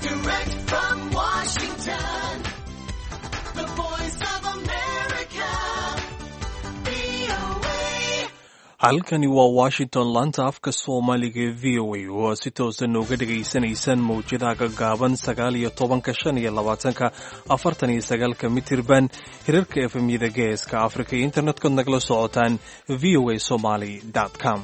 Direct from Washington, the voice of America, VOA. Halkani waa Washington, laanta afka Soomaaliga ee VOA, oo aad si toosan nooga dhagaysanaysaan mawjadaha gaggaaban 19-ka, 25-ka, 49-ka mitirban, hirarka efemyada Geeska Afrika iyo internet-kood nagala socotaan voasomali com.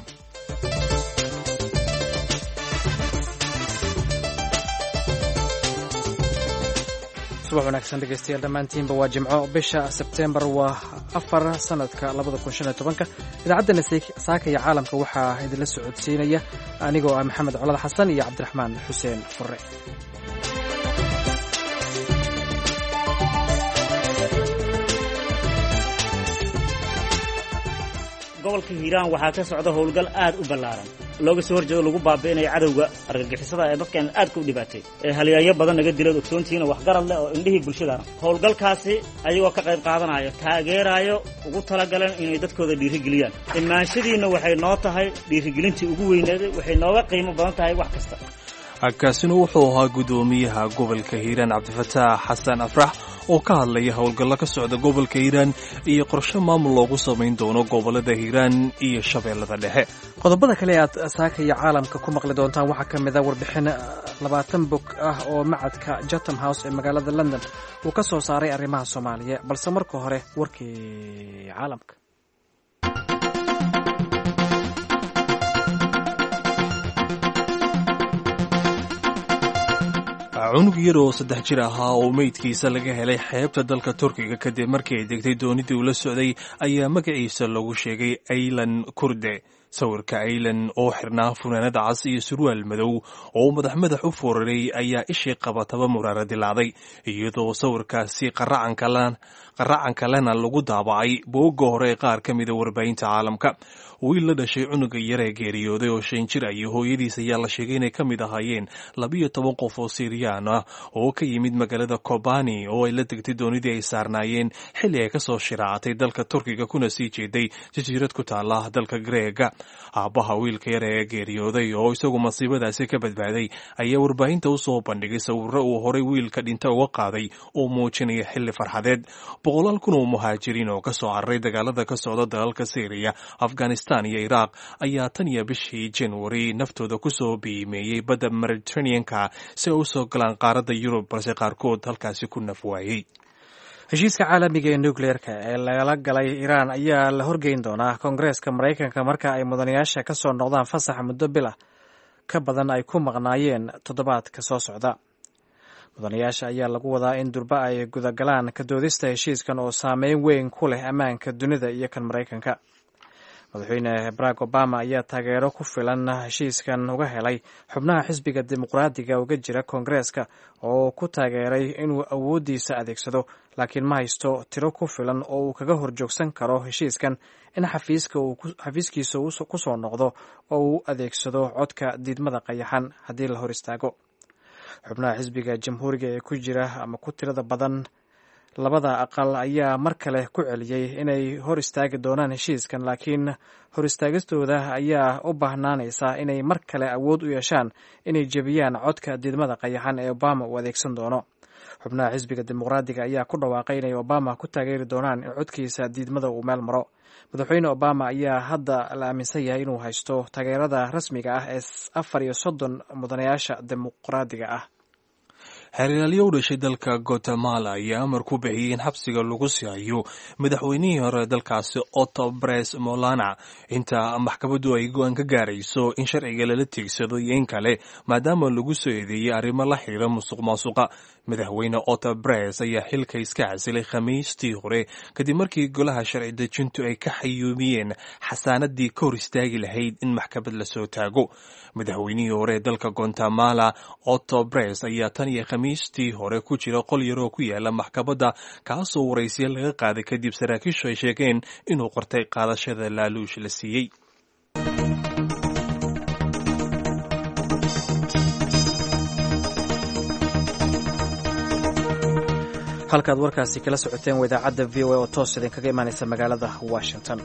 Subax wanaagsan dhegeystayaal dhammaantiinba. Waa Jimco, bisha Sebteembar waa 4, sanadka 2015-ka. Idaacaddana Saaka iyo Caalamka waxaa idinla socodsiinaya anigoo ah Maxamed Colad Xasan iyo Cabdiraxmaan Xuseen Furre. Gobolka Hiiraan waxaa ka socda howlgal aad u ballaaran looga soo horjeedo, lagu baabi'inayo cadowga argagixisada ee dadkan aadka u dhibaatay ee halyaeyo badan naga dilood ogsoontihiin oo waxgarad leh oo indhihii bulshadana. Howlgalkaasi ayagoo ka qayb qaadanayo, taageeraayo, ugu talagaleen inay dadkooda dhiirigeliyaan. Imaanshadiinna waxay noo tahay dhiirigelintii ugu weyneeday, waxay nooga qiimo badan tahay wax kasta. Kaasina wuxuu ahaa guddoomiyaha gobolka Hiiraan, Cabdifataax Xasan Afrax, oo ka hadlaya howlgallo ka socda gobolka Hiiraan iyo qorshe maamul loogu samayn doono gobolada Hiiraan iyo Shabeellada Dhexe. Qodobada kale ee aad Saaka iyo Caalamka ku maqli doontaan waxaa ka mid a warbixin 20 bog ah oo macadka Chatham House ee magaalada London uu ka soo saaray arrimaha Soomaaliya, balse marka hore warkii caalamka. Cunug yar oo 3 jir ahaa oo meydkiisa laga helay xeebta dalka Turkiga kadib markii ay degtay doonidii uu la socday ayaa magaciisa lagu sheegay Aylan Kurde. Sawirka Aylan oo xirnaa funaanada cas iyo surwaal madow oo madax madax u fooraray ayaa ishii qabataba muraara dilaacday, iyadoo sawirkaasi qaracanka lena lagu daabacay boogga hore ee qaar ka mida warbaahinta caalamka. Wiil la dhashay cunuga yar ee geeriyooday oo 5 jir ah iyo hooyadiis ayaa la sheegay inay ka mid ahaayeen 12 qof oo Siiriyaan ah oo ka yimid magaalada Kobani oo ay la degtay doonidii ay saarnaayeen xilli ay kasoo shiraacatay dalka Turkiga kuna sii jeeday jasiirad ku taala dalka Greega. Aabbaha wiilka yar ee geeriyooday oo isagu masiibadaasi ka badbaaday ayaa warbaahinta u soo bandhigay sawirro uu horay wiilka dhinta uga qaaday oo muujinaya xilli farxadeed. Boqolaal kun oo muhaajiriin oo kasoo cararay dagaalada ka socda dalalka Syriya, Afghanistan iyo Iraaq ayaa tan iyo bishii Januari naftooda kusoo biimeeyey badda Mediterraneanka si ay usoo galaan qaaradda Yurub, balse qaarkood halkaasi ku naf waayey. Heshiiska caalamiga ee nukleerka ee lagala galay Iiraan ayaa la horgeyn doonaa Koongareeska Maraykanka marka ay mudanayaasha ka soo noqdaan fasaxa muddo bila ka badan ay ku maqnaayeen toddobaadka soo socda. Mudanayaasha ayaa lagu wadaa in durba ay gudagalaan ka doodista heshiiskan oo saameyn weyn ku leh ammaanka dunida iyo kan Maraykanka. Madaxweyne Barack Obama ayaa taageero ku filan heshiiskan uga helay xubnaha xisbiga Dimuqraadiga uga jira Koongareeska oo ku taageeray inuu awooddiisa adeegsado, laakiin ma haysto tiro ku filan oo uu kaga horjoogsan karo heshiiskan in xafiiskiisa ku soo noqdo oo uu adeegsado codka diidmada qayaxan haddii la hor istaago. Xubnaha xisbiga Jamhuuriga ee ku jira ama ku tirada badan labada aqal ayaa mar kale ku celiyey inay hor istaagi doonaan heshiiskan, laakiin hor istaagistooda ayaa u baahnaanaysa inay mar kale awood u yeeshaan inay jebiyaan codka diidmada qayaxan ee Obama uu adeegsan doono. Xubnaha xisbiga Dimuqraadiga ayaa ku dhawaaqay inay Obama ku taageeri doonaan in codkiisa diidmada uu meel maro. Madaxweyne Obama ayaa hadda la aaminsan yahay inuu haysto taageerada rasmiga ah ee 34 mudanayaasha Dimuqraadiga ah. Xeeralyo u dhashay dalka Guatemala ayaa amar ku bixiyey in xabsiga lagu sii hayo madaxweynihii hore dalkaasi Otto Bres Molana inta maxkamaddu ay go-aan ka gaarayso in sharciga lala tiigsado iyo in kale, maadaama lagu soo eedeeyey arrimo la xiriira musuq maasuqa. Madaxweyne Otto Bres ayaa xilka iska casilay Khamiistii hore kadib markii golaha sharci dejintu ay ka xayuumiyeen xasaanadii ka hor istaagi lahayd in maxkamad lasoo taago. Madaxweynihii hore ee dalka Guatemala Otto Bres ayaa tan iyo Khamiistii hore ku jira qol yaroo ku yaala maxkamadda, kaasoo waraysiya laga qaaday kadib saraakiishu ay sheegeen inuu qortay qaadashada laaluush la siiyey. Halkaad warkaasi kala socoteen waa idaacadda VOA oo toos idinkaga imaanaysa magaalada Washington.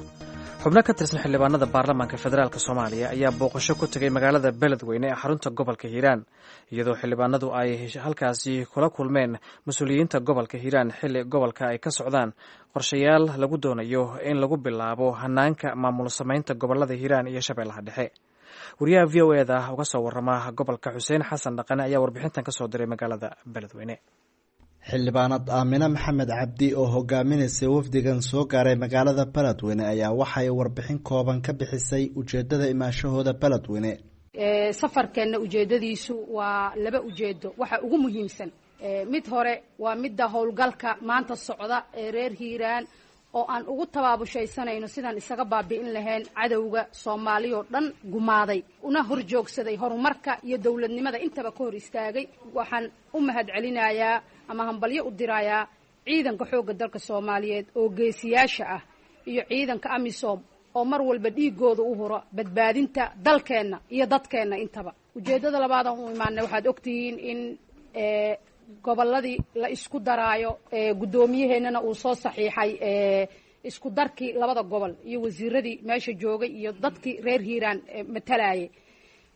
Xubno ka tirsan xildhibaanada baarlamaanka federaalk Soomaaliya ayaa booqasho ku tegay magaalada Beledweyne ee xarunta gobolka Hiiraan, iyadoo xildhibaanadu ay halkaasi kula kulmeen mas-uuliyiinta gobolka Hiiraan, xilli gobolka ay ka socdaan qorshayaal lagu doonayo in lagu bilaabo hanaanka maamul samaynta gobolada Hiiraan iyo Shabeellaha Dhexe. Wariyaha VOA-da uga soo warama gobolka, Xuseen Xasan Dhaqane, ayaa warbixintan kasoo diray magaalada Beledweyne. Xildhibaanad Aamine Maxamed Cabdi oo hogaaminaysay wafdigan soo gaaray magaalada Beledweyne ayaa waxay warbixin kooban ka bixisay ujeedada imaanshahooda Beledweyne. Safarkeenna ujeedadiisu waa laba ujeedo. Waxa ugu muhiimsan mid hore waa midda howlgalka maanta socda ee reer Hiiraan oo aan ugu tabaabusaysanayno sidaan isaga baabi'in lahayn cadowga Soomaaliyoo dhan gumaaday, una horjoogsaday horumarka iyo dowladnimada intaba ka hor istaagay. Waxaan u mahad celinayaa ama hambalyo u dirayaa ciidanka xoogga dalka Soomaaliyeed oo geesiyaasha ah iyo ciidanka AMISOM oo mar walba dhiigooda u huro badbaadinta dalkeenna iyo dadkeenna intaba. Ujeeddada labaadaan u imaanay, waxaad ogtihiin in gobolladii la isku daraayo, guddoomiyaheennana uu soo saxiixay isku darkii labada gobol iyo wasiiradii meesha joogay iyo dadkii reer Hiiraan matalayay.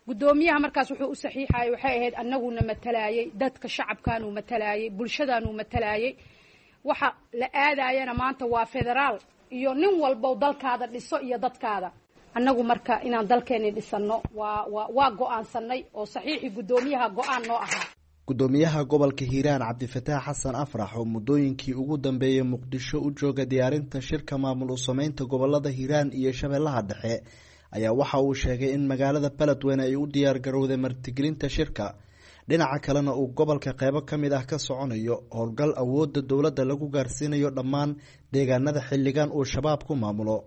Guddoomiyaha markaas wuxuu u saxiixayay waxay ahayd annaguna matalayay dadka shacabkaanuu matalayay, bulshadaanuu matalayay. Waxa la aadayana maanta waa federaal iyo nin walbow dalkaada dhiso iyo dadkaada. Annagu marka inaan dalkeenni dhisanno waa go-aansanay oo saxiixii guddoomiyaha go-aan noo ahaa. Gudoomiyaha gobolka Hiiraan, Cabdifataax Xasan Afrax, oo muddooyinkii ugu dambeeyey Muqdisho u jooga diyaarinta shirka maamul u sameynta gobolada Hiiraan iyo Shabeellaha Dhexe, ayaa waxa uu sheegay in magaalada Beledweyne ay u diyaar garowday martigelinta shirka, dhinaca kalena uu gobolka qeybo ka mid ah ka soconayo howlgal awoodda dowladda lagu gaarsiinayo dhammaan deegaanada xilligan uu Shabaab ku maamulo.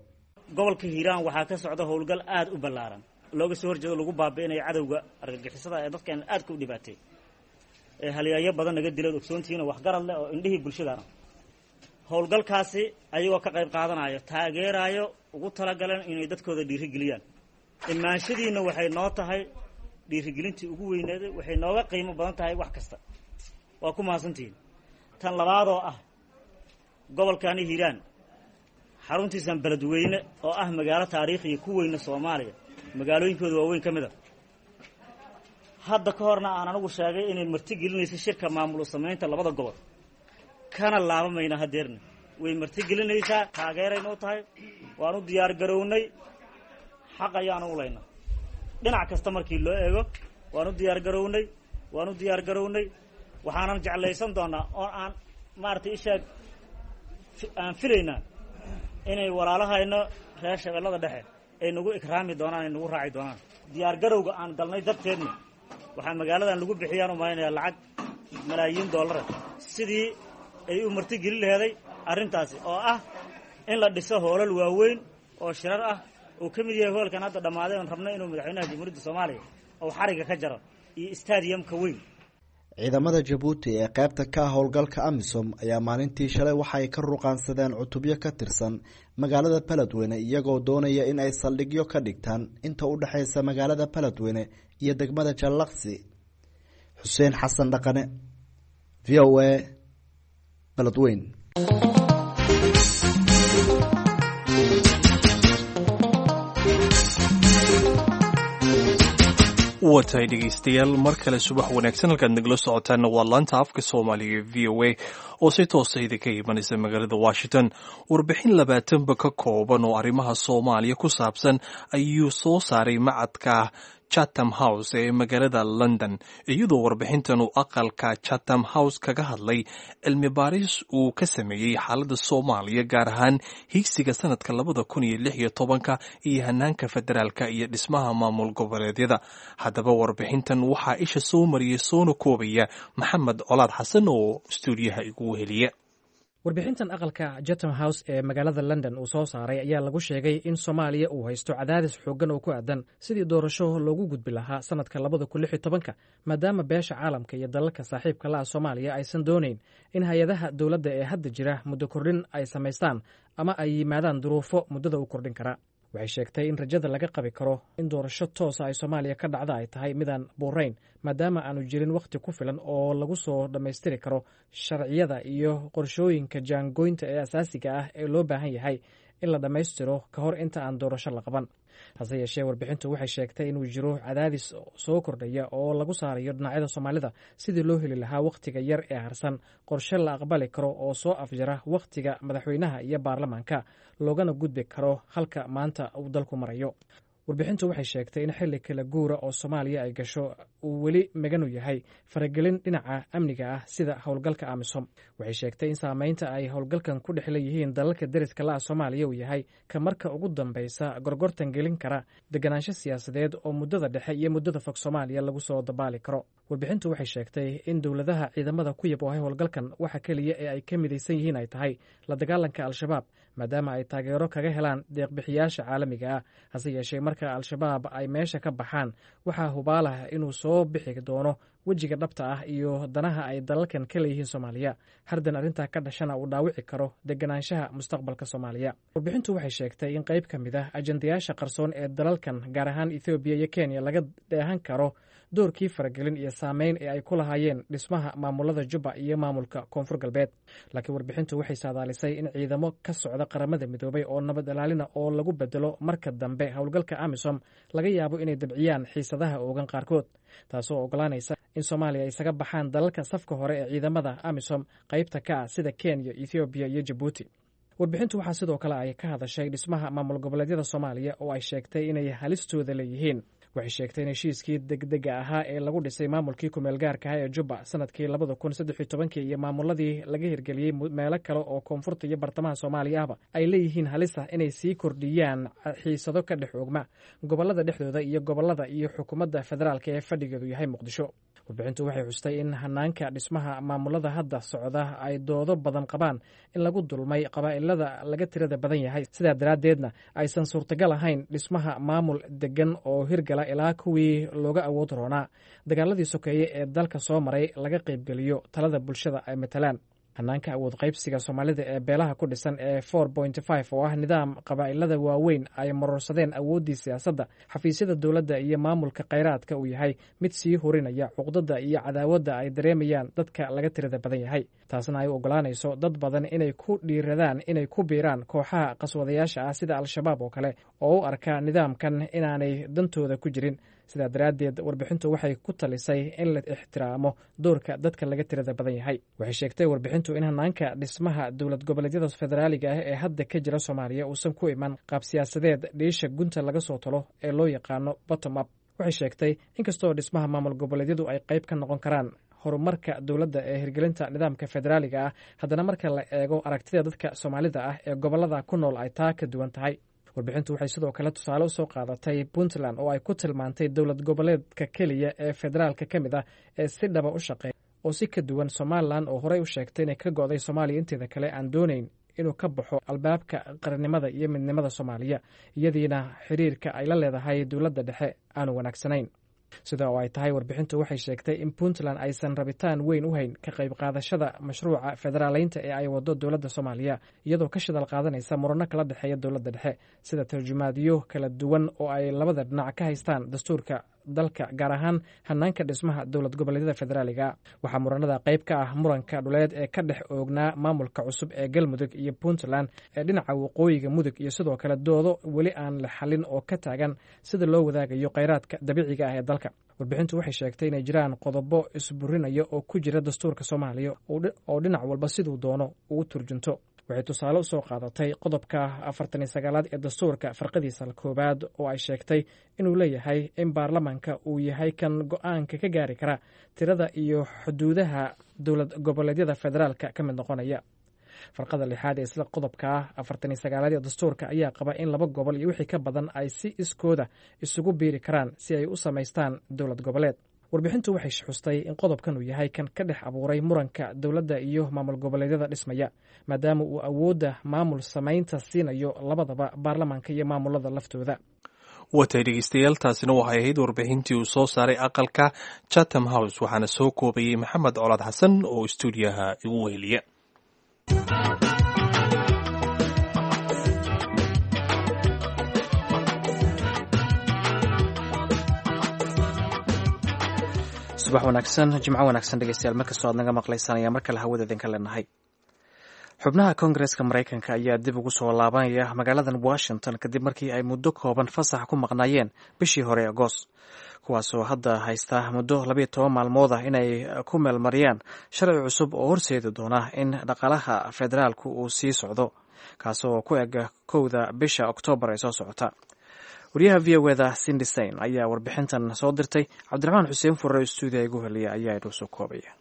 Gobolka Hiiraan waxaa ka socda howlgal aada u ballaaran looga soo horjeedo lagu baabi'inayo cadowga argagixisada ee dadkeena aadka u dhibaatay ee halyayo badan naga dilood ogsoontihiin oo waxgarad leh oo indhihii bulshadana. Howlgalkaasi ayagoo ka qayb qaadanayo, taageerayo, ugu talagaleen inay dadkooda dhiirigeliyaan. Imaanshadiinna waxay noo tahay dhiirigelintii ugu weyneeday, waxay nooga qiimo badan tahay wax kasta. Waa ku mahadsantihiin. Tan labaadoo ah, gobolkani Hiiraan xaruntiisan Beledweyne oo ah magaalo taariikhiya ku weyna Soomaaliya, magaalooyinkooda waaweyn ka mid a, hadda ka horna aan anigu sheegay inay marti gelinayso shirka maamul samaynta labada gobol, kana laabamayna hadeerna way marti gelinaysaa, taageerayna u tahay. Waan u diyaar garownay, xaq ayaanu u laynaa dhinac kasta markii loo eego. Waan u diyaar garownay, waan u diyaar garownay. Waxaanan jeclaysan doonaa oo aan maaragtay ishaag aan filaynaa inay walaalahayno reer Shabeellada Dhexe ay nagu ikraami doonaan, ay nagu raaci doonaan. Diyaar garowga aan galnay darteedna waxaa magaaladan lagu bixiyaan u malaynayaa lacag malaayiin dollara sidii ay u martigelin laheeday arrintaasi, oo ah in la dhiso hoolal waaweyn oo shirar ah uu ka mid yahay hoolkan hadda dhammaaday oon rabno inuu madaxweynaha Jamhuuriyadda Soomaaliya uu xarigga ka jaro iyo stadiyamka weyn. Ciidamada Jabuuti ee qaybta ka ah howlgalka AMISOM ayaa maalintii shalay waxa ay ka ruqaansadeen cutubyo ka tirsan magaalada Beledweyne, iyagoo doonaya in ay saldhigyo ka dhigtaan inta u dhexeysa magaalada Beledweyne iyo degmada Jallaqsi. Xuseen Xasan Dhaqane, VOA, Beledweyne. Waa tahay dhegaystayaal, mar kale subax wanaagsan. Halkaad nagala socotaanna waa laanta afka Soomaaliga VOA oo si toosa idinka imanaysa magaalada Washington. Warbixin 20-ba ka kooban oo arrimaha Soomaaliya ku saabsan ayuu soo saaray macadka Chatham House ee magaalada London, iyadoo warbixintan uu aqalka Chatham House kaga hadlay cilmi baaris uu ka sameeyey xaaladda Soomaaliya, gaar ahaan higsiga sanadka 2016-ka iyo hanaanka federaalka iyo dhismaha maamul goboleedyada. Haddaba warbixintan waxaa isha soo mariyey soona koobaya Maxamed Colaad Xasan oo stuudiyaha igu weheliya. Warbixintan aqalka Chatham House ee magaalada London uu soo saaray ayaa lagu sheegay in Soomaaliya uu haysto cadaadis xooggan oo ku aadan sidii doorasho loogu gudbi lahaa sanadka 2016-ka, maadaama beesha caalamka iyo dalalka saaxiibka la ah Soomaaliya aysan doonayn in hay-adaha dowladda ee hadda jira muddo kordhin ay samaystaan ama ay yimaadaan duruufo muddada u kordhin kara. Waxay sheegtay in rajada laga qabi karo in doorasho toosa ay Soomaaliya ka dhacda ay tahay midaan buurayn, maadaama aanu jirin wakhti ku filan oo lagu soo dhammaystiri karo sharciyada iyo qorshooyinka jaangoynta ee asaasiga ah ee loo baahan yahay in la dhammaystiro ka hor inta aan doorasho la qaban. Hase yeeshee, warbixintu waxay sheegtay inuu jiro cadaadis soo kordhaya oo lagu saarayo dhinacyada Soomaalida sidii loo heli lahaa wakhtiga yar ee harsan qorshe la aqbali karo oo soo afjara wakhtiga madaxweynaha iyo baarlamaanka, loogana gudbi karo halka maanta uu dalku marayo. Warbixintu waxay sheegtay in xilli kala guura oo Soomaaliya ay gasho uu weli maganu yahay faragelin dhinaca amniga ah sida howlgalka AMISOM. Waxay sheegtay in saameynta ay howlgalkan ku dhex leeyihiin dalalka deriska la-a Soomaaliya uu yahay ka marka ugu dambeysa gorgortan gelin kara deganaansho siyaasadeed oo muddada dhexe iyo muddada fog Soomaaliya lagu soo dabaali karo. Warbixintu waxay sheegtay in dowladaha ciidamada ku yaboohay howlgalkan waxa keliya ee ay ka midaysan yihiin ay tahay la dagaalanka Al-Shabaab, maadaama ay taageero kaga helaan deeqbixiyaasha caalamiga ah. Hase yeeshee, marka Al-Shabaab ay meesha ka baxaan, waxaa hubaalah inuu soo bixi doono wejiga dhabta ah iyo danaha ay dalalkan ka leeyihiin Soomaaliya, hardan arrintaa ka dhashana uu dhaawici karo deganaanshaha mustaqbalka Soomaaliya. Warbixintu waxay sheegtay in qayb ka mid ah ajandayaasha qarsoon ee dalalkan, gaar ahaan Ethoobiya iyo Kenya, laga dheehan karo doorkii faragelin iyo saameyn ee ay ku lahaayeen dhismaha maamulada Jubba iyo maamulka Koonfur Galbeed. Laakiin warbixintu waxay saadaalisay in ciidamo ka socda Qaramada Midoobay oo nabad ilaalina oo lagu bedelo marka dambe howlgalka AMISOM laga yaabo inay dabciyaan xiisadaha oogan qaarkood, taasoo ogolaanaysa in Soomaaliya ay isaga baxaan dalalka safka hore ee ciidamada AMISOM qaybta ka ah sida Kenya, Ethoobiya iyo Jabuuti. Warbixintu waxaa sidoo kale ay ka hadashay dhismaha maamul goboleedyada Soomaaliya oo ay sheegtay inay halistooda leeyihiin. Waxay sheegtay in heshiiskii degdega ahaa ee lagu dhisay maamulkii kumeel gaarka ah ee Jubba sanadkii 2013-kii iyo maamuladii laga hirgeliyey meelo kale oo koonfurta iyo bartamaha Soomaaliya ahba ay leeyihiin halisa inay sii kordhiyaan xiisado ka dhex oogma gobolada dhexdooda iyo gobolada iyo xukuumadda federaalka ee fadhigeedu yahay Muqdisho. Warbixintu waxay xustay in hanaanka dhismaha maamulada hadda socda ay doodo badan qabaan in lagu dulmay qabaa'ilada laga tirada badan yahay, sidaa daraaddeedna aysan suurtagal ahayn dhismaha maamul degan oo hirgala ilaa kuwii looga awood roonaa dagaaladii sokeeye ee dalka soo maray laga qaybgeliyo talada bulshada ay matalaan. Hanaanka awood qaybsiga Soomaalida ee beelaha ku dhisan ee 4.5 oo ah nidaam qabaa'ilada waaweyn ay marorsadeen awooddii siyaasadda, xafiisyada dowladda iyo maamulka khayraadka uu yahay mid sii horinaya cuqdada iyo cadaawadda ay dareemayaan dadka laga tirada badan yahay, taasna ay u ogolaanayso dad badan inay ku dhiiradaan inay ku biiraan kooxaha qaswadayaasha ah sida Al-Shabaab oo kale oo u arka nidaamkan inaanay dantooda ku jirin. Sidaa daraaddeed, warbixintu waxay ku talisay in la ixtiraamo doorka dadka laga tirada badan yahay. Waxay sheegtay warbixintu in hanaanka dhismaha dowlad goboleedyada federaaliga ah ee hadda ka jira Soomaaliya uusan ku iman qaab siyaasadeed dhiisha gunta laga soo talo ee loo yaqaano bottom up. Waxay sheegtay inkastoo dhismaha maamul goboleedyadu ay qayb ka noqon karaan horumarka dowladda ee hirgelinta nidaamka federaaliga ah, haddana marka la eego aragtida dadka Soomaalida ah ee gobolada ku nool ay taa ka duwan tahay. Warbixintu waxay sidoo kale tusaale usoo qaadatay Puntland oo ay ku tilmaantay dowlad goboleedka keliya ee federaalka ka mid ah ee si dhaba u shaqeeya, oo si ka duwan Somalilan oo horey u sheegtay inay ka go'day Soomaaliya inteeda kale aan doonayn inuu ka baxo albaabka qarannimada iyo midnimada Soomaaliya, iyadiina xiriirka ay la leedahay dowladda dhexe aanu wanaagsanayn. Sida oo ay tahay, warbixintu waxay sheegtay in Puntland aysan rabitaan weyn u hayn ka qayb qaadashada mashruuca federaaleynta ee ay wado dowladda Soomaaliya, iyadoo ka shidal qaadanaysa murano kala dhexeeya dowladda dhexe sida tarjumaadyo kala duwan oo ay labada dhinac ka haystaan dastuurka dalka, gaar ahaan hanaanka dhismaha dowlad goboleedyada federaaliga. Waxaa muranada qayb ka ah muranka dhuleed ee ka dhex oognaa maamulka cusub ee Galmudug iyo Puntland ee dhinaca waqooyiga Mudug, iyo sidoo kale doodo weli aan la xalin oo ka taagan sida loo wadaagayo kheyraadka dabiiciga ah ee dalka. Warbixintu waxay sheegtay inay jiraan qodobo isburinaya oo ku jira dastuurka Soomaaliya oo dhinac walba siduu doono ugu turjunto. Waxay tusaale usoo qaadatay qodobka 49aad ee dastuurka farqadiisa koowaad oo ay sheegtay inuu leeyahay in baarlamaanka uu yahay kan go-aanka ka gaari kara tirada iyo xuduudaha dowlad goboleedyada federaalka ka mid noqonaya. Farqada lixaad ee isla qodobka 49aad ee dastuurka ayaa qaba in laba gobol iyo wixii ka badan ay si iskooda isugu biiri karaan si ay u samaystaan dowlad goboleed. Warbixintu waxay xustay in qodobkan uu yahay kan ka dhex abuuray muranka dowladda iyo maamul goboleedyada dhismaya, maadaama uu awoodda maamul samaynta siinayo labadaba baarlamaanka iyo maamulada laftooda. Watay dhegeystayaal, taasina waxay ahayd warbixintii uu soo saaray aqalka Chatham House, waxaana soo koobayey Maxamed Colaad Xasan oo istuudiyaha igu weheliya. Subax wanaagsan, jimco wanaagsan dhegeystayaal, markastoo aad naga maqlaysaan ayaa mar kale hawada idinka leenahay. Xubnaha Koongareeska Maraykanka ayaa dib ugu soo laabanaya magaaladan Washington kadib markii ay muddo kooban fasax ku maqnaayeen bishii hore Agost, kuwaasoo hadda haysta muddo 12 maalmood ah inay ku meelmariyaan sharci cusub oo horseedi doona in dhaqaalaha federaalku uu sii socdo, kaasoo ku eg 1da bisha Oktoobar ee soo socota. Wariyaha VOA-da Cindy Saine ayaa warbixintan soo dirtay. Cabdiraxmaan Xuseen Furre, stuudiya igu heliya, ayaa inoo soo koobaya.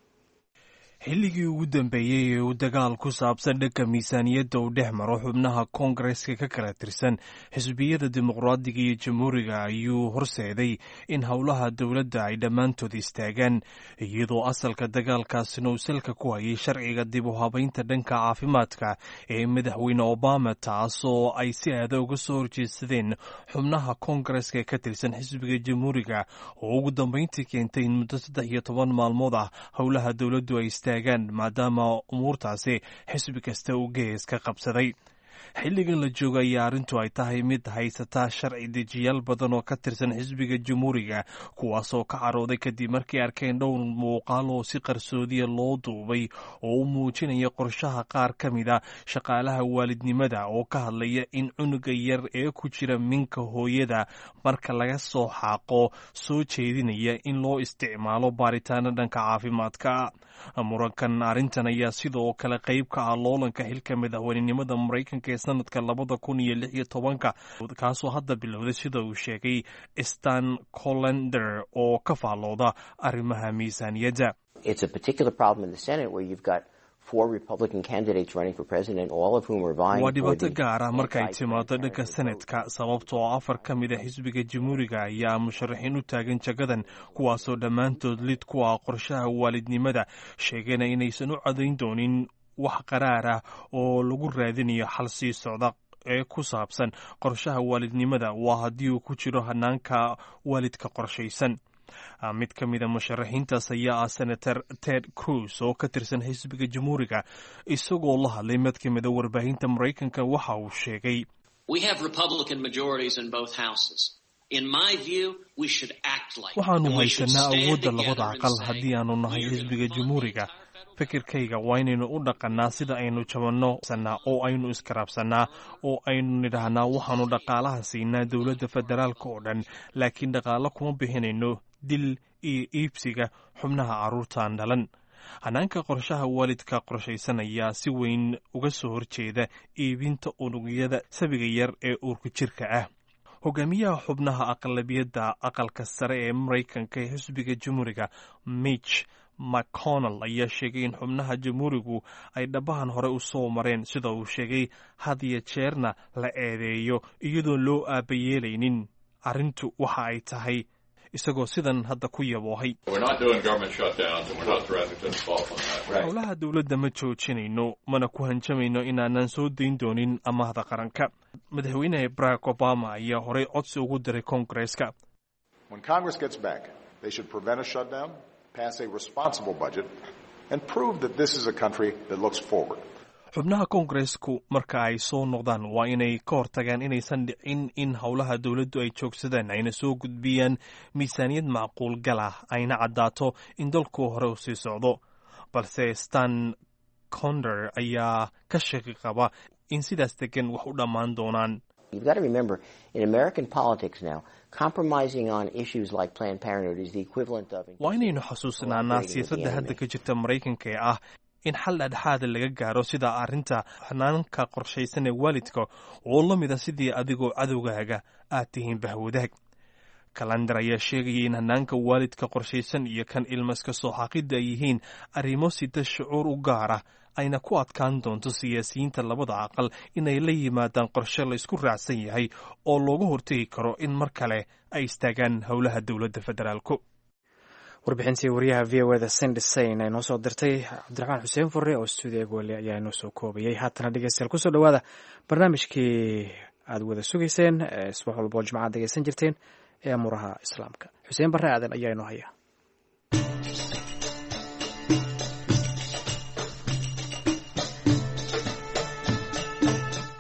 Xilligii ugu dambeeyey ee uu dagaal ku saabsan dhanka miisaaniyadda uu dhex maro xubnaha koongareska ka kala tirsan xisbiyada Dimuqraadiga iyo Jamhuuriga ayuu horseeday in howlaha dowladda ay dhammaantood istaagaan, iyadoo asalka dagaalkaasina uu salka ku hayay sharciga dib u habaynta dhanka caafimaadka ee madaxweyne Obama, taasoo ay si aada uga soo horjeedsadeen xubnaha koongareska ee ka tirsan xisbiga Jamhuuriga, oo ugu dambeyntii keentay in muddo 13 maalmood ah howlaha dowladdu ay maadaama umuurtaasi xisbi kasta uu gees ka qabsaday. Xilligan la jooga ayaa arrintu ay tahay mid haysata sharci dejiyaal badan oo ka tirsan xisbiga Jamhuuriga, kuwaasoo ka carooday kadib markay arkeen dhowr muuqaal oo si qarsoodiya loo duubay oo u muujinaya qorshaha qaar ka mid a shaqaalaha waalidnimada oo ka hadlaya in cunuga yar ee ku jira minka hooyada marka laga soo xaaqo, soo jeedinaya in loo isticmaalo baaritaano dhanka caafimaadka. Murankan arrintan ayaa sidoo kale qayb ka ah loolanka xilka madaxweynenimada Maraykanka ee sanadka 2016-ka, kaasoo hadda bilowday, sida uu sheegay Stan Collender oo ka faallooda arrimaha miisaaniyadda. Waa dhibaato gaar ah marka ay timaado dhanka Senetka, sababtoo afar ka mid a xisbiga Jamhuuriga ayaa musharaxiin u taagan jagadan, kuwaasoo dhammaantood lid ku ah qorshaha waalidnimada, sheegana inaysan u codayn doonin wax qaraar ah oo lagu raadinayo xal sii socda ee ku saabsan qorshaha waalidnimada, waa haddii uu ku jiro hanaanka waalidka qorshaysan. Mid ka mida musharaxiintaas ayaa ah Senator Ted Cruz oo ka tirsan xisbiga Jamhuuriga. Isagoo la hadlay mid ka mida warbaahinta Maraykanka, waxa uu sheegay: "Waxaanu haysanaa awoodda labada aqal haddii aanu nahay xisbiga Jamhuuriga. Fikirkayga waa inaynu u dhaqannaa sida aynu jabanno sanaa oo aynu iskaraabsannaa oo aynu nidhaahnaa waxaanu dhaqaalaha siinaa dowladda federaalka oo dhan, laakiin dhaqaalo kuma bixinayno dil iyo iibsiga xubnaha carruurtaan dhalan." Hanaanka qorshaha waalidka qorshaysan ayaa si weyn uga soo horjeeda iibinta unugyada sabiga yar ee uurku jirka ah. Hogaamiyaha xubnaha aqlabiyadda aqalka sare ee Maraykanka ee xisbiga Jamhuuriga, Mitch McConnell, ayaa sheegay in xubnaha Jamhuurigu ay dhabahan hore u soo mareen, sida uu sheegay, had iyo jeerna la eedeeyo iyadoon loo aabayeelaynin arrintu waxa ay tahay, isagoo sidan hadda ku yaboohay: "Howlaha dowladda ma joojinayno, mana ku hanjamayno inaanan soo dayn doonin amaahda qaranka." Madaxweyne Barack Obama ayaa horey codsi ugu diray Koongareeska. Pass a responsible budget, and prove that this is a country that looks forward. Xubnaha Koongareesku marka ay soo noqdaan waa inay ka hortagaan inaysan dhicin in howlaha dowladdu ay joogsadaan, ayna soo gudbiyaan miisaaniyad macquul gal ah, ayna caddaato in dalku hore u sii socdo. Balse Stan Conder ayaa ka shaki qaba in sidaas degan wax u dhammaan doonaan. You've got to remember, in American politics now, compromising on issues like Planned Parenthood is the equivalent of Waa inaynu xasuusnaanaa siyaasadda hadda ka jirta Maraykanka ee ah in xal dhexdhexaada laga gaaro sida arrinta xanaanka qorshaysan ee waalidka oo la mida sidii adigoo cadowgaaga aad tihiin bahwadaag. Kalandar ayaa sheegaya in hanaanka waalidka qorshaysan iyo kan ilmaska soo xaaqidda ay yihiin arrimo sita shucuur u gaar ah, ayna ku adkaan doonto siyaasiyiinta labada aqal inay la yimaadaan qorshe la isku raacsan yahay oo looga hortegi karo in mar kale ay istaagaan howlaha dowladda federaalku. Warbixintii wariyaha VOA-da Cindy Saine ay noo soo dirtay, Cabdiraxmaan Xuseen Furre oo stuudiga goole ayaa inoo soo koobayay. Haatana dhegeystayaal, kusoo dhowaada barnaamijkii aad wada sugayseen ee subax walba oo jimcaad dhegeysan jirteen ee amuuraha Islaamka. Xuseen Barre Aadan ayaa inoo haya.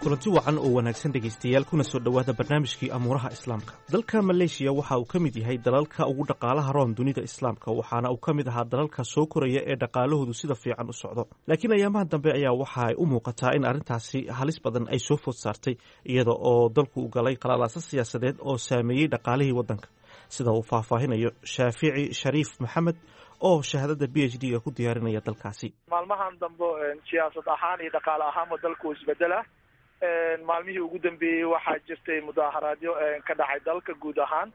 Kulanti wacan oo wanaagsan, dhegaystayaal, kuna soo dhowaada barnaamijkii amuuraha islaamka. Dalka Maleeshiya waxa uu ka mid yahay dalalka ugu dhaqaalaha roon dunida islaamka, waxaana uu ka mid ahaa dalalka soo koraya ee dhaqaalahoodu sida fiican u socdo. Laakiin ayaamaha dambe ayaa waxa ay u muuqataa in arrintaasi halis badan ay soo food saartay, iyada oo dalku u galay qalalaasa siyaasadeed oo saameeyey dhaqaalihii waddanka, sida uu faahfaahinayo Shaafici Shariif Maxamed oo shahaadada PhD-ga ku diyaarinaya dalkaasi. Maalmahan dambe siyaasad ahaan iyo dhaqaale ahaanba dalku isbedela. Maalmihii ugu dambeeyey waxaa jirtay mudaaharaadyo ka dhacay dalka guud ahaan.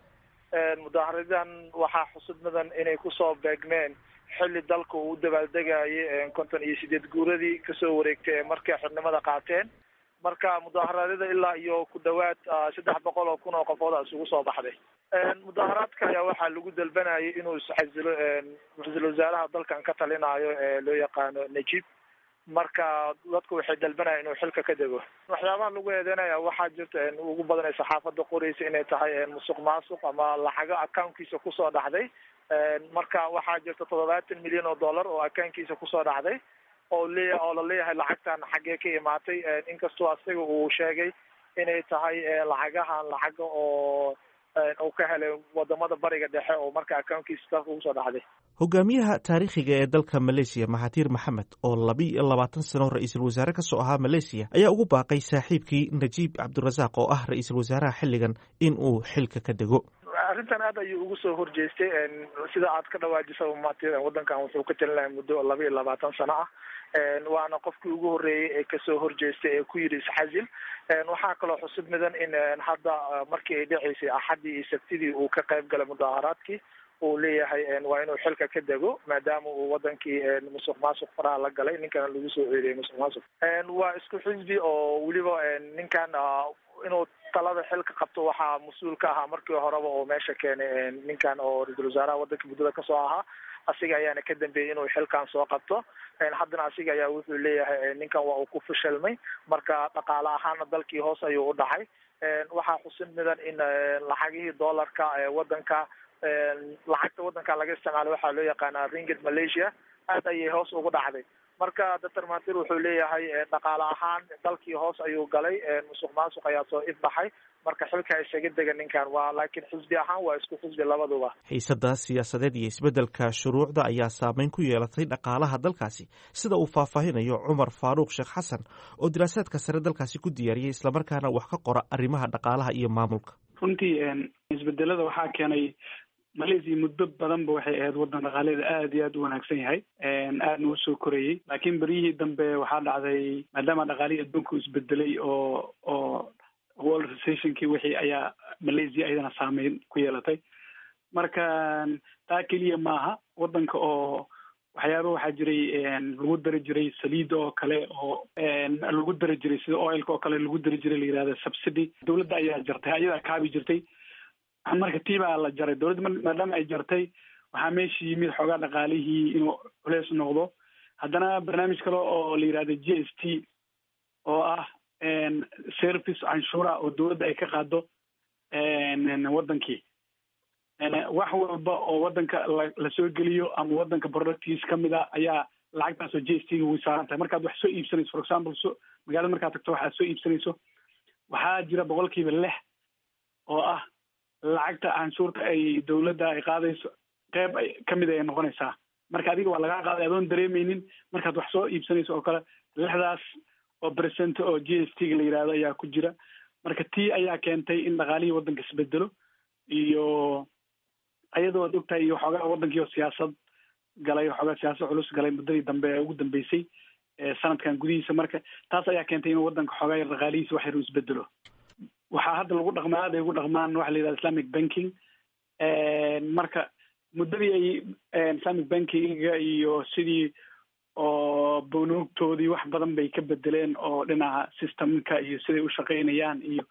Mudaaharaadyadan waxaa xusud mudan inay kusoo beegmeen xilli dalka uu u dabaaldegayay 58 guuradii kasoo wareegtay ee markay xornimada qaateen. Marka mudaharaadyada ilaa iyo ku dhawaad 300,000 oo qofood a isugu soo baxday. Mudaaharaadka ayaa waxaa lagu dalbanayay inuu isxasilo ra-iisul wasaaraha dalkan ka talinayo ee loo yaqaano Najib. Marka dadku waxay dalbanayaan inuu xilka ka dego. Waxyaabaha lagu eedeynaya waxaa jirta ugu badan ee saxaafadda qoraysa inay tahay musuq maasuq ama lacago accountkiisa kusoo dhacday. Marka waxaa jirta $70 milyan oo accountkiisa kusoo dhacday oo leeya oo la leeyahay lacagtan xaggee ka imaatay, inkastoo asiga uu sheegay inay tahay lacagahan lacaga oo uu ka helay wadamada Bariga Dhexe oo marka accountkiisa dalka ugu soo dhacday. Hogaamiyaha taariikhiga ee dalka Maleesiya, Mahatir Maxamed, oo 22 sano ra-iisul wasaare ka soo ahaa Maleesiya, ayaa ugu baaqay saaxiibkii Najiib Cabdirasaaq oo ah ra-iisul wasaaraha xilligan in uu xilka ka dego. Arrintan aad ayuu ugu soo horjeestay. Sida aad ka dhawaajisa, Mahatir waddankan wuxuu ka talinaya muddo 22 sano ah, waana qofkii ugu horreeyey ee kasoo horjeestay ee ku yidhi isxasil. Waxaa kaloo xusub mudan in hadda markii ay dhaceysay Axaddii iyo Sabtidii uu ka qayb galay mudaaharaadkii uu leeyahay waa inuu xilka ka dego, maadaama uu wadankii musuq maasuq faraha la galay. Ninkana lagu soo eedeeyay musuq maasuq, waa isku xisbi oo weliba ninkan inuu talada xilka qabto waxaa mas-uul ka ahaa markii horeba oo meesha keenay ninkan oo ra-iisul wasaaraha wadanka muddada kasoo ahaa. Asiga ayaana ka dambeeyey inuu xilkan soo qabto. Haddana asiga ayaa wuxuu leeyahay ninkan waa uu ku fashilmay. Marka dhaqaale ahaana dalkii hoos ayuu u dhacay. Waxaa xusin mudan in lacagihii dollarka ee wadanka, lacagta wadanka laga isticmaalo waxaa loo yaqaanaa ringgit Malaysia, aad ayay hoos ugu dhacday. Marka Doctor Mahatir wuxuu leeyahay dhaqaale ahaan dalkii hoos ayuu galay, musuq maasuq ayaa soo ifbaxay, marka xilka isaga dega ninkan waa, laakiin xisbi ahaan waa isku xisbi labaduba. Xiisada siyaasadeed iyo isbeddelka shuruucda ayaa saameyn ku yeelatay dhaqaalaha dalkaasi, sida uu faahfaahinayo Cumar Faaruuq Sheekh Xasan oo diraasaadka sare dalkaasi ku diyaariyey, islamarkaana wax ka qora arrimaha dhaqaalaha iyo maamulka. Runtii isbedelada waxaa keenay, Malaysia muddo badanba waxay ahayd waddan dhaqaaleeda aad iyo aad u wanaagsan yahay, aadna u soo korayey. Laakiin beryihii dambe waxaa dhacday, maadaama dhaqaalihii adduunku isbedelay oo world recessionkii wixii ayaa Malaysia ayadana saameyn ku yeelatay. Marka taa keliya maaha, waddanka oo waxyaaba waxaa jiray lagu dari jiray saliida oo kale oo lagu dari jiray, sida oilka oo kale lagu dari jiray, la yihahda subsidy, dowladda ayaa jartay, ayadaa kaabi jirtay. Marka tii baa la jaray dowladda. Maadaama ay jartay, waxaa meesha yimid xoogaa dhaqaalihii inuu culeys noqdo. Haddana barnaamij kale oo la yihahdo GST oo ah service canshuura oo dowladda ay ka qaado waddankii, wax walba oo waddanka lasoo geliyo ama waddanka productiis kamid a ayaa lacagtaas oo GST ga way saaran tahay. Markaad wax soo iibsanayso, for example, so magaalada markaad tagto waxaad soo iibsanayso, waxaa jira 6% oo ah lacagta canshuurta ay dowladda ay qaadayso, qeyb ay kamid ay noqonaysaa. Marka adiga waa lagaa qaaday adoon dareemeynin markaad wax soo iibsanayso oo kale. 6daas oo percent oo GST ga la yihahdo ayaa ku jira. Marka tii ayaa keentay in dhaqaalihii waddanka isbedelo, iyo ayadoo ad ogtahay iyo xoogaa waddankii oo siyaasad galay, xoogaa siyaasad culus galay muddadii dambe ee ugu dambeysay sanadkan gudihiisa. Marka taas ayaa keentay inuu waddanka xoogaa yar dhaqaalihiisa wax yar uu isbedelo. Waxaa hadda lagu dhaqmaa, aad ay ugu dhaqmaan waxa la yidhahda Islamic banking. Marka muddadii ay Islamic bankinga iyo sidii oo bunuugtoodii wax badan bay ka bedeleen oo dhinaca systemka iyo siday u shaqaynayaan, iyo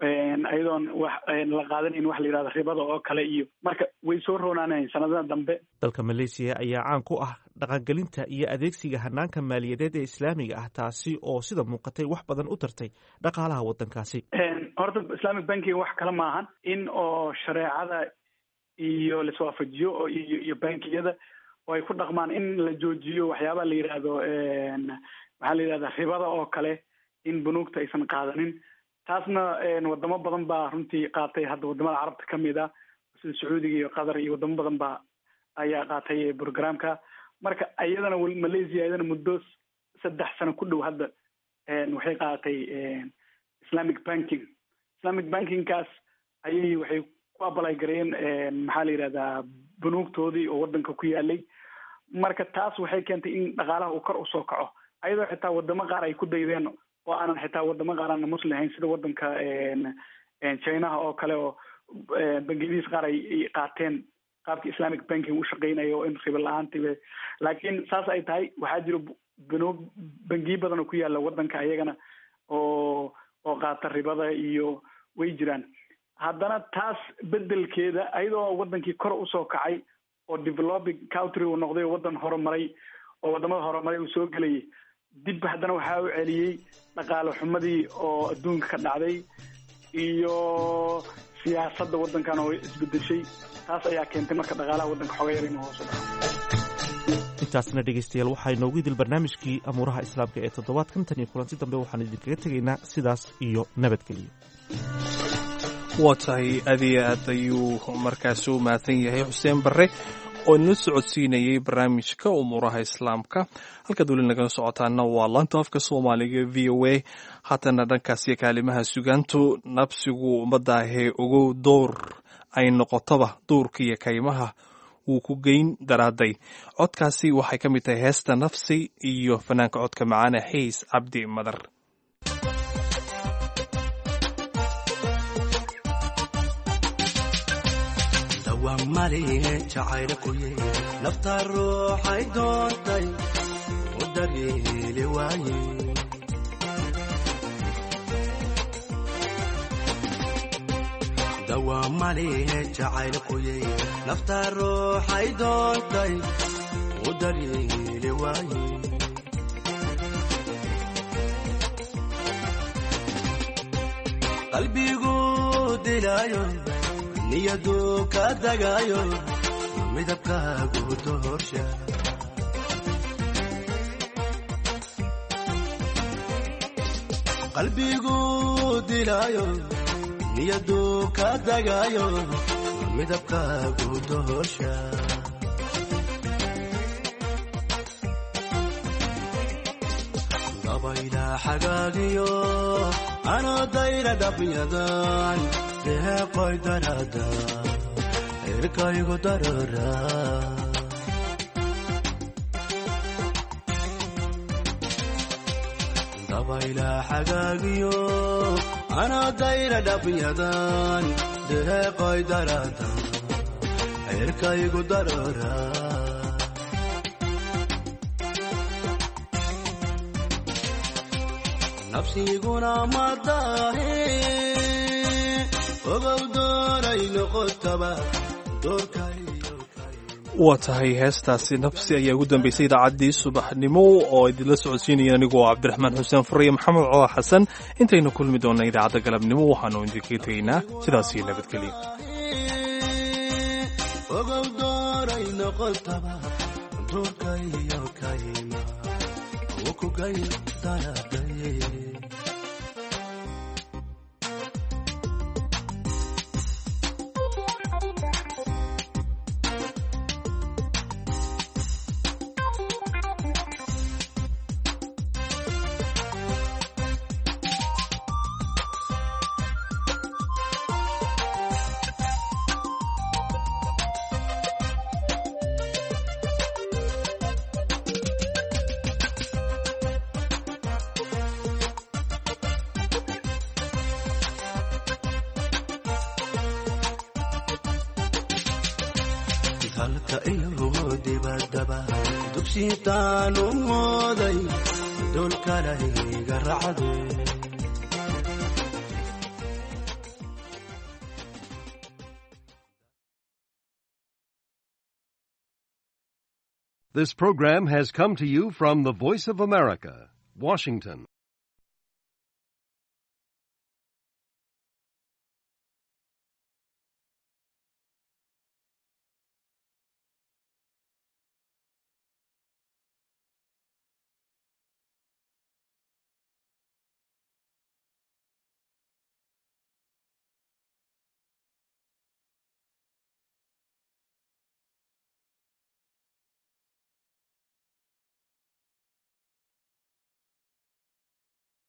iyadoon wax la qaadanayn wax la yidhahda ribada oo kale, iyo marka way soo roonaanayn sanadaha dambe. Dalka Maleesiya ayaa caan ku ah dhaqangelinta iyo adeegsiga hanaanka maaliyadeed ee islaamiga ah, taasi oo sida muuqatay wax badan u tartay dhaqaalaha waddankaasi. Horta Islamic banking wax kale maahan in oo shareecada iyo laiswaafajiyo oo iyo bankiyada oo ay ku dhaqmaan in la joojiyo waxyaabaha la yidhaahdo, waxaa la yidhahda ribada oo kale. in bunuugta aysan qaadanin. Taasna wadamo badan baa runtii qaatay hadda, wadamada Carabta kamid ah sida Sacuudiga iyo Qatar iyo wadamo badan baa ayaa qaatay programka. Marka iyadana Malaysia iyadana muddo 3 sano ku dhow hadda waxay qaadatay Islamic banking. Islamic bankingkaas ayay waxay ku apply gareeyeen, maxaa la yidhahdaa, bunuugtoodii oo wadanka ku yaalay. Marka taas waxay keentay in dhaqaalaha uu kor usoo kaco, ayadoo xitaa wadamo qaar ay ku daydeen oo aanan xitaa wadamo qaar aanan Muslim ahayn, sida wadanka Chinaha oo kale, oo bangiyadiis qaar ay qaateen qaabka Islamic banking u shaqeynayo oo in ribo la-aantiba. Laakiin saas ay tahay, waxaa jiro bunuug, bangiyo badan oo ku yaala wadanka ayagana oo qaata ribada iyo way jiraan. Haddana taas bedelkeeda, ayadoo wadankii kor usoo kacay oo developing country uu noqday oo wadan horumaray oo wadamada horumaray uu soo gelayay, dib haddana waxaa u celiyey dhaqaale xumadii oo adduunka ka dhacday iyo siyaasadda waddankan oo isbedeshay. Taas ayaa keentay marka dhaqaalaha waddanka xooga yar inuu hoos u dhaco. Intaasna, dhegaystayaal, waxaa inoogu idil barnaamijkii amuuraha Islaamka ee toddobaadkan. Tan iyo kulanti dambe, waxaan idinkaga tegaynaa sidaas iyo nabadgelyo. Waa tahay, aad iyo aad ayuu markaasi u mahadsan yahay Xuseen Barre oo inala socodsiinayay barnaamijka umuuraha Islaamka. Halkaad weli nagala socotaana waa laanta afka Soomaaliga VOA. Haatana dhankaasiyo kaalimaha sugaantu. Nabsigu ummaddaahee ogow, door ay noqotoba duurka iyo kaymaha wuu ku geyn daraaday. Codkaasi waxay ka mid tahay heesta Nafsi iyo fanaanka codka macaane Xiis Cabdi Madar. Nafta ruuxay doontay u daryeeli waaye, dawamalihe jacaylkuye. Nafta ruuxay doontay u daryeeli waaye, qalbigu dilaayo, niyadu ka dagayo, midabkaagu doorsha. Qalbigu dilaayo, niyadu ka dagayo, midabkaagu doorsha. Dabayla xagaagiyo anoo dayra dhabyadan deeqoy darada irkaygu darara. Dabayla xagaagiyo anoo dayra dhabyadan deeqoy darada cirkaygu darara. Nafsiguna madaahe, ogow, dooray noqotaba doorkay. Waa tahay, heestaasi Nafsi ayaa ugu dambeysay idaacaddii subaxnimo oo idinla socodsiinaya anigoo Cabdiraxmaan Xuseen Furiye, Maxamed Cooda Xasan. Intaynu kulmi doonna idaacadda galabnimo, waxaanu idinkaga tegaynaa sidaasii nabadgelyo. Ogow, dooray noqotaba doorkayo kayma ukugay daraday. Halka iyo dibadaba dugsiitaanu mooday dulkalayga racde. This program has come to you from the Voice of America, Washington.